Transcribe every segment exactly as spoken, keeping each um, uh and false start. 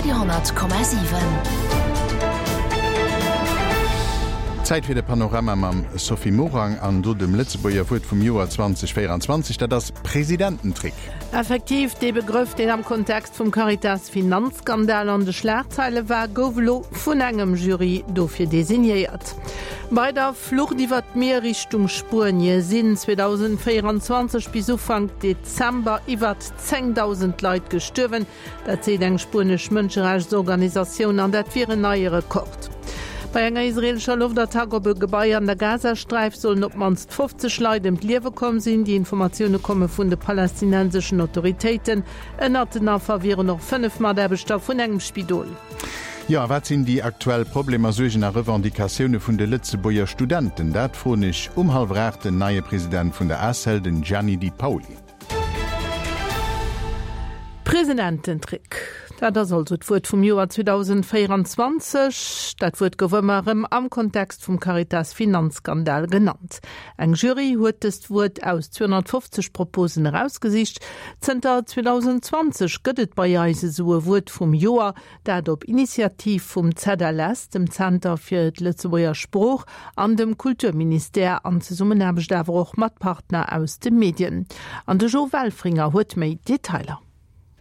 Radio honnert Komma siwen. Zäit fir de Panorama mam Sophie Morang an do dem Lëtzebuerger Wuert vum Joer zwanzeg véierundzwanzeg, dat ass Presidententrick. Effektiv, dee Begrëff, deen am Kontext vum Caritas-Finanzskandal an de Schlagzeile war, gouf elo vun engem Jury dofir designéiert. Bei der Flucht iwwer d'Mier Richtung Spuenie sinn zweedausendvéierundzwanzeg bis Ufank Dezember iwwer zéngdausend Leit gestuerwen. Dat seet eng spuenesch Mënscherechtsorganisatioun an dat wier en neie Rekord. Bei enger israeelescher Loftattack op e Gebai an der Gazasträif sollen op d'mannst fofzeg Leit ëm d'Liewe komm sinn. Déi Informatioune komme vun de palästinenseschen Autoritéiten. Ënnert den Affer wieren och fënnef Mataarbechter vun engem Spidol. Jo, a wat sinn déi aktuell Problemer, Suergen a Revendicatioune vun de Lëtzebuerger Studenten? Dat froen ech um hallwer aacht den neie President vun der ACEL, den Gianni Di Paoli. Presidententrick, dat ass also d'Wuert vum Joer zweedausendvéierundzwanzeg. Dat Wuert gouf ëmmer erëm am Kontext vum Caritas-Finanzskandal genannt. Eng Jury huet dëst Wuert aus zweehonnertfofzeg Proposen erausgesicht. Zënter zweedausendzwanzeg gëtt et bei eis esou e Wuert vum Joer, dat op Initiativ vum Z L S, dem Zenter fir d'Lëtzebuerger Sprooch, an dem Kulturministère, an Zesummenaarbecht awer och mat Partner aus de Medien. An de Jo Welfringer huet méi Detailer.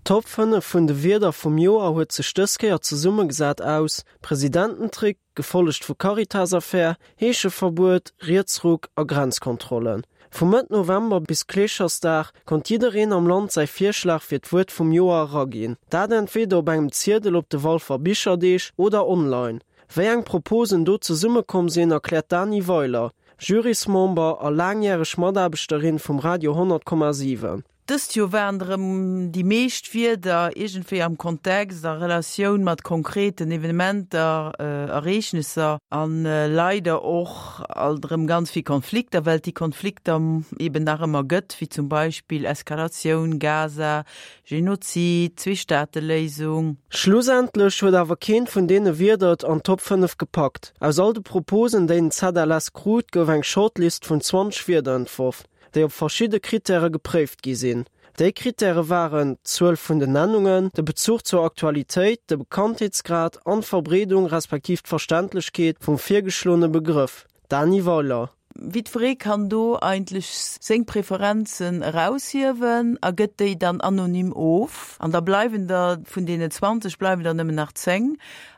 D'Top fënnef vun de Wierder vum Joer huet sech dës Kéier zesummegesat aus Presidententrick, gefollegt vu Caritas-Affär, Heescheverbuet, Rietsruck a Grenzkontrollen. Vu Mëtt November bis Kleeschersdag konnt jiddereen am Land säi Virschlag fir d'Wuert vum Joer eraginn. Dat entweder op engem Ziedel op de Walfer Bicherdeeg oder online. Wéi eng Proposen do zesummekomm sinn, erkläert d'Dany Weiler, Jurysmember a laangjäreg Mataarbechterin vum Radio honnert Komma siwen. Dëst Joer waren erëm déi meescht Wierder iergendwéi am Kontext, a Relatioun mat konkreten Evenementer, Ereegnesser an leider och alt erëm ganz vill Konflikter, well et déi Konflikter eben nach ëmmer gëtt, wéi zum Beispill Eskalatioun Gaza, Genozid, Zweestaateléisung. Schlussendlech huet awer keent vun deene Wierder et an d'Top fënnef gepackt. Aus all de Proposen, déi den Z L S krut, gouf eng Shortlist vun zwanzeg Wierder entworf, déi op verschidde Krittäre gepréift gi sinn. Déi Krittäre waren d'Zuel vun den Nennungen, de Bezuch zur Aktualitéit, de Bekanntheetsgrad an d'Verbreedung respektiv d'Verständlechkeet vum virgeschloene Begrëff. Dany Weiler. Jiddweree kann do eigentlech seng Preferenzen eraushiewen a gëtt déi dann anonym of. An da bleiwen der vun deenen zwanzeg bleiwen der nëmmen nach zéng.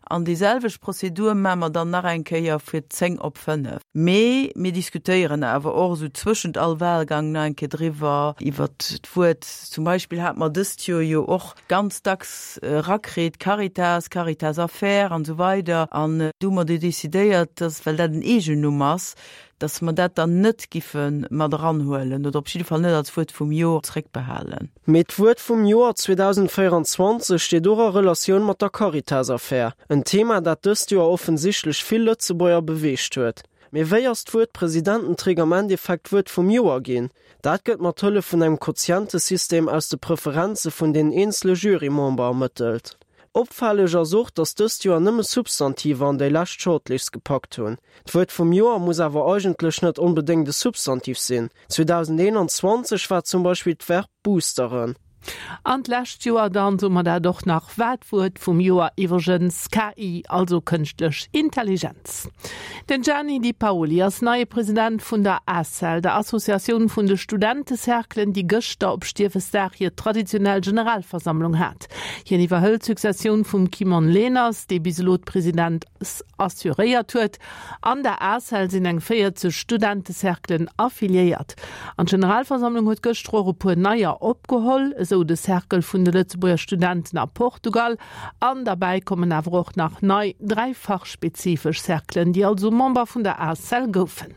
An déi selwecht Prozedur maache mer dann nach eng Kéier fir zéng op fënnef. Mee mir diskutéieren awer och esou zwëschent all Wahlgang nach eng Kéier driwwer, iwwert d'Wuert. Zum Beispill hate mer dëst Joer jo och ganz dacks erakritt, Caritas, Caritas-Affär an esou weider. An du hu mer du decidéiert, dass, well dat en Eegennumm ass, dass mer dat dann net giffe mat eranhuelen oder op jidde Fall net als Wuert vum Joer zréckbehalen. Mee d'Wuert vum Joer zweedausendvéierundzwanzeg steet och a Relatioun mat der Caritas-Affär, en Thema, dat dëst Joer offensichtlech vill Lëtzebuerger beweegt huet. Mee wéi ass d'Wuert Presidententrick am Endeffekt d'Wuert vum Joer ginn? Dat gëtt mat Hëllef vun engem Quotientesystem aus de Preferenze vun den eenzele Jurymember ermëttelt. Opfälleg ass och, datt dëst Joer nëmme Substantiver an déi lescht Shortlist gepackt hunn. D'Wuert vum Joer muss awer eigentlech net onbedéngt e Substantiv sinn. zweedausendeenanzwanzeg war zum Beispill d'Verb boosteren. An d'lescht Joer dann, soe mer dat och nach, war d'Wuert vum Joer iwwregens K I, also kënschtlech Intelligenz. Den Gianni Di Paoli ass neie President vun der ACEL, der Associatioun vun de Studentecerclen, déi gëschter op Stiefesdag hir traditionell Generalversammlung hat. Hien iwwerhëlt d'Successioun vum Kimon Leners, dee bis elo d'Presidence assuréiert huet. An der ACEL sinn eng véierzeg Studentecerclen affiliéiert. An d'Generalversammlung huet gëschter och e puer neier opgeholl, esou de Cercle vun de Lëtzebuerger Studenten a Portugal. An derbäi kommen awer och nach nei dräi fachspezifesch Cerclen, déi also Member vun der ACEL goufen.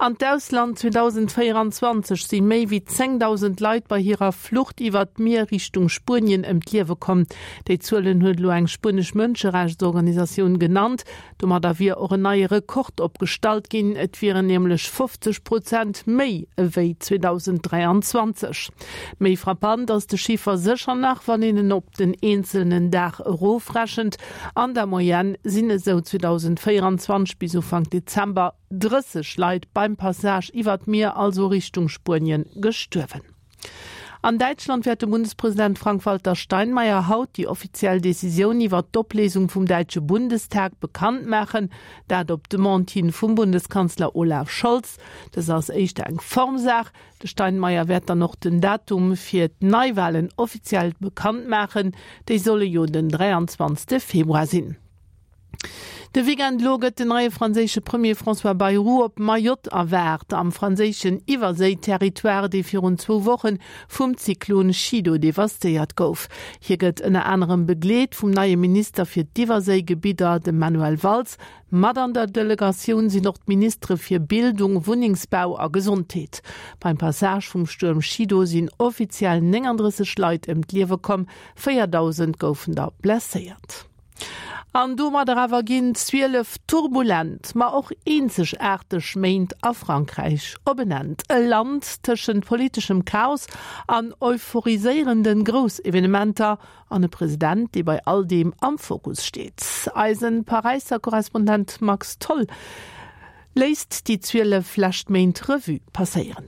An d'Ausland zweedausendvéierundzwanzeg si méi wéi zéngdausend Leit bei hirer Flucht iwwer d'Mier Richtung Spuenien ëm d'Liewe komm. Déi Zuelen huet elo eng spuenesch Mënscherechtsorganisatioun genannt. Domadder wier och en neie Rekord opgestallt ginn, et wieren nämlech fofzeg Prozent méi ewéi zweedausenddräianzwanzeg. Méi frappant ass de Chiffer sécher nach, wann een en op den eenzelnen Dag erofrechent. An der Moyenne sinn esou zweedausendvéierundzwanzeg bis Ufank Dezember drësseg Leit beim Passage iwwer d'Mier, also Richtung Spuenien, gestuerwen. An Däitschland wäert de Bundespresident Frank-Walter Steinmeier haut déi offiziell Decisioun iwwer d'Opléisung vum däitsche Bundestag bekannt maachen, dat op Demande hin vum Bundeskanzler Olaf Scholz. Dëst ass éischter eng Formsaach. De Steinmeier wäert dann och den Datum fir d'Neiwalen offiziell bekannt maachen, déi solle jo den dräianzwanzegste Februar sinn. De Weekend elo gëtt den neie franséische Premier François Bayrou op Mayotte erwaart, am franséischen Iwwerséi-Territoire, dee virun zwou Woche vum Zyklon Chido devastéiert gouf. Hie gëtt ënner anerem begleet vum neie Minister fir d'Iwwerséigebidder, dem Manuel Valls. Mat an der Delegatioun sinn och d'Ministere fir Bildung, Wunnengsbau a Gesondheet. Beim Passage vum Stuerm Chido sinn offiziell nénganddrësseg Leit ëm d'Liewe komm, véierdausend goufen der blesséiert. An domadder awer ginn zwielef turbulent, ma och eenzegaarteg Méint a Frankräich op en Enn. E Land tëschent politeschem Chaos an euphoriséierende Groussevenementer an e President, dee bei all deem am Fokus steet. Eise Paräisser Korrespondent Max Tholl léisst déi zwielef lescht Méint Revue passéieren.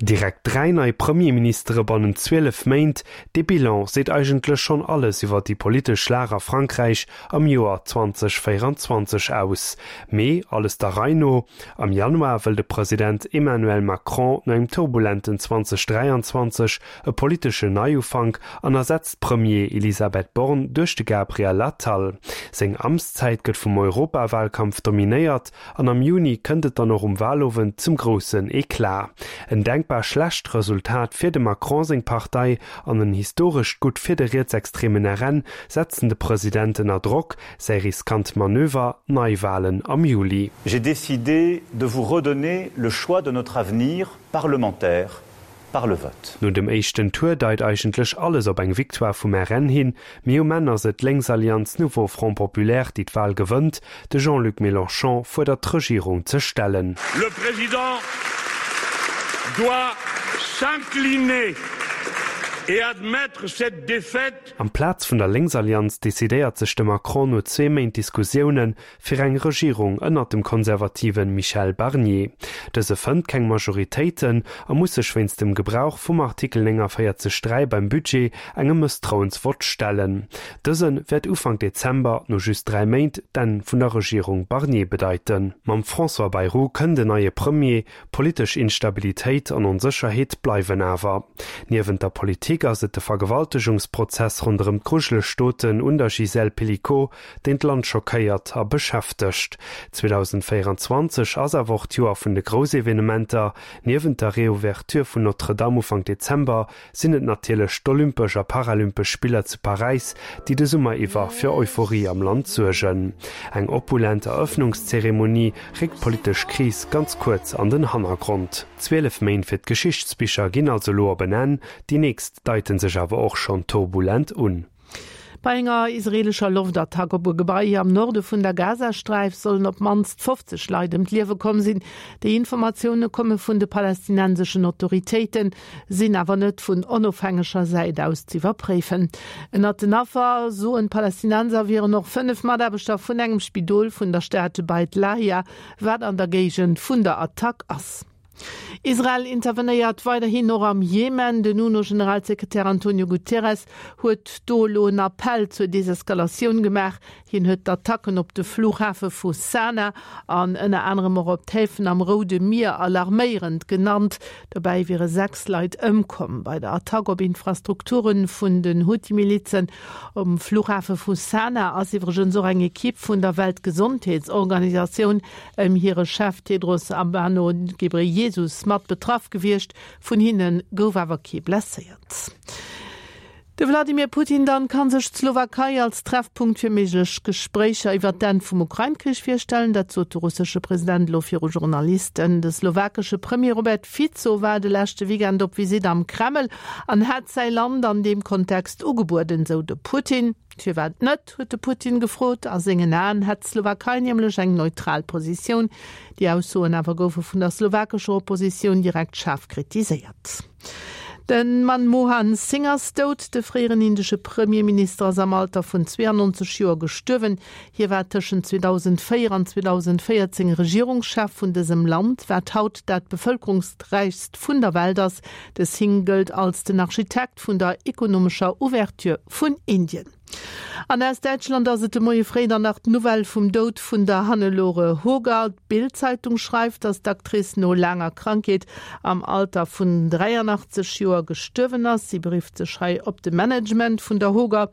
Direkt dräi nei Premierministere bannent zwielef Méint, dee Bilan seet eigentlech schonn alles iwwer déi politesch Lag a Frankräich am Joer zweitausendvéierundzwanzeg aus. Mee alles der Rei no, Am Januar wëll de President Emmanuel Macron no engem turbulenten zweitausenddräianzwanzeg e politeschen Neiufank an ersetzt d'Premier Elisabeth Borne duerch de Gabriel Attal. Seng Amtszäit gëtt vum Europawalkampf dominéiert an am Juni kënnt et dann och um Walowend zum groussen Eclat. En denkbar schlecht Resultat fir dem Macron seng Partei an en historescht Gutt fir de rietsextremen R N setzen de President ënner Drock, säi riskant Manöver, Neiwalen am Juli. J'ai décidé de vous redonner le choix de notre avenir parlementaire par le vote. No dem éischten Tour deit eigentlech alles op eng Victoire vum R N hin, mee um Enn ass et d'Lénksallianz Nouveau Front Populaire, déi d'Wal gewënnt. De Jean-Luc Mélenchon fuerdert d'Regierung ze stellen. Le président doit s'incliner et admettre cette défaite. Amplaz vun der Lénksallianz decidéiert sech de Macron no zwee Méint Diskussioune fir eng Regierung ënnert dem konservative Michel Barnier. Dëse fënnt keng Majoritéiten a muss sech wéinst dem Gebrauch vum Artikel nénganvéierzeg dräi beim Budget engem Mësstrauensvott stellen. Dëse wäert Ufank Dezember no just dräi Méint d'Enn vun der Regierung Barnier bedeiten. Mam François Bayrou kënnt en neie Premier, politesch Instabilitéit an Onsécherheet bleiwen awer. Niewent der Politik ass et de Vergewaltegungsprozess ronderëm d'grujeleg Doten un der Gisèle Pelicot, deen d'Land schockéiert a beschäftegt. zweitausendvéierundzwanzeg ass awer och d'Joer vun de Groussevenementer. Niewent der Reouverture vun Notre-Dame Ufank Dezember sinn et natierlech d'Olympesch a Paralympesch Spiller zu Paräis, déi de Summer iwwer fir Euphorie am Land suergen. Eng opulent Erëffnungszeremonie réckt d'politesch Kris ganz kuerz an den Hannergrond. Zwielef Méint fir d'Geschichtsbicher ginn also elo op en Enn, déi nächst deite sech awer och schonn turbulent un. Bei enger israeelescher Loftattack op e Gebai am Norde vun der Gazasträif sollen op d'mannst fofzeg Leit ëm d'Liewe komm sinn. Déi Informatioune komme vun de palästinenseschen Autoritéiten, sinn awer net vun onofhängeger Säit aus z'iwwerpréifen. Ënnert den Affer, soen d'Palästinenser, wieren och fënnef Mataarbechter vun engem Spidol vun der Stad Beit Lahia, wat an der Géigend vun der Attack ass. Israel intervenéiert weiderhin och am Jemen. Den UNO-Generalsekretär Antonio Guterres huet do elo en Appell zur Deseskalatioun gemaach. Hien huet d'Attacken op de Flughafe vu Sanaa an ënner anerem och op d'Häfen am Roude Mier alarméierend genannt. Dobäi wiere sechs Leit ëmkomm bei der Attack op Infrastrukture vun den Huthi-Milizen. Um Flughafe vu Sanaa ass iwwregens och eng Ekipp vun der Weltgesondheetsorganisatioun ëm hire Chef Tedros Adhanom Ghebreyesus mat betraff gewiescht, vun hinne gouf awer kee blesséiert. De Wladimir Putin dann kann sech d'Slowakei als Treffpunkt fir méiglech Gespréicher iwwer d'Enn vum Ukrain-Krich virstellen, dat sot de russesche President elo viru Journalisten. De slowakesche Premier Robert Fico war de leschte Weekend op Visitt am Kreml an hat säi Land an deem Kontext ugebueden, sou de Putin. Firwat net, huet de Putin gefrot. A sengen Aen hätt d'Slowakei nämlech eng neutral Positioun. Déi Aussoen awer goufe vun der slowakescher Oppositioun direkt schaarf kritiséiert. Den Manmohan Singh ass dout, de fréieren indesche Premierminister ass am Alter vun zweeanneunzeg Joer gestuerwen. Hie war tëschent zweedausendvéier an zweedausendvéierzéng Regierungschef vun dësem Land, wat haut dat bevëlkerungsräichst vun der Welt ass. De Singh gëllt als den Architekt vun der ekonomescher Ouverture vun Indien. An aus Däitschland ass et de Moie fréi dann nach d'Nouvelle vum Doud vun der Hannelore Hoger. D'Bild-Zeitung schreift, datt d'Actrice no laanger Krankheet am Alter vun dräianachtzeg Joer gestuerwen ass. Si berifft sech hei op de Management vun der Hoger.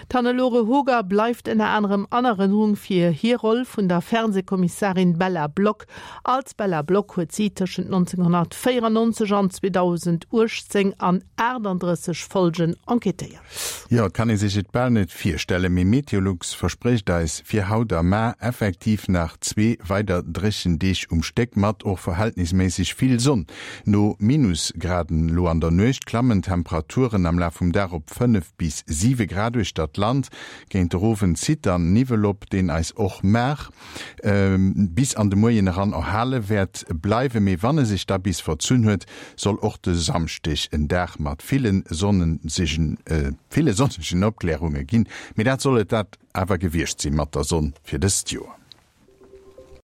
D'Hannelore Hoger bleift ënner anerem an Erënnerung fir hir Roll vun der Fernsehkommissarin Bella Block. Als Bella Block huet si tëschent nonzénghonnertvéierannonzeg an zweedausendachtzéng an aachtanddrësseg Folgen enquêtéiert. Jo, et kann ee sech et bal net virstellen, mee Meteolux versprécht eis fir haut a mar effektiv nach zwee weider dréchen Deeg um Stéck mat och verhältnisméisseg vill Sonn. No Minusgraden lo an der Nuecht klammen d'Temperaturen am Laf vum Dag op fënnef bis siwe Grad uechter d'Land. Géint de Owend zitt dann Niwwel op, deen eis och mar bis an de Moien eran erhale wäert bleiwen. Mee wann e sech da bis verzunn huet, soll och de Samschdeg en Dag mat ville sonnegen Opklärunge ginn. Mee dat soll et dat awer gewiescht si mat der Sonn fir dëst Joer.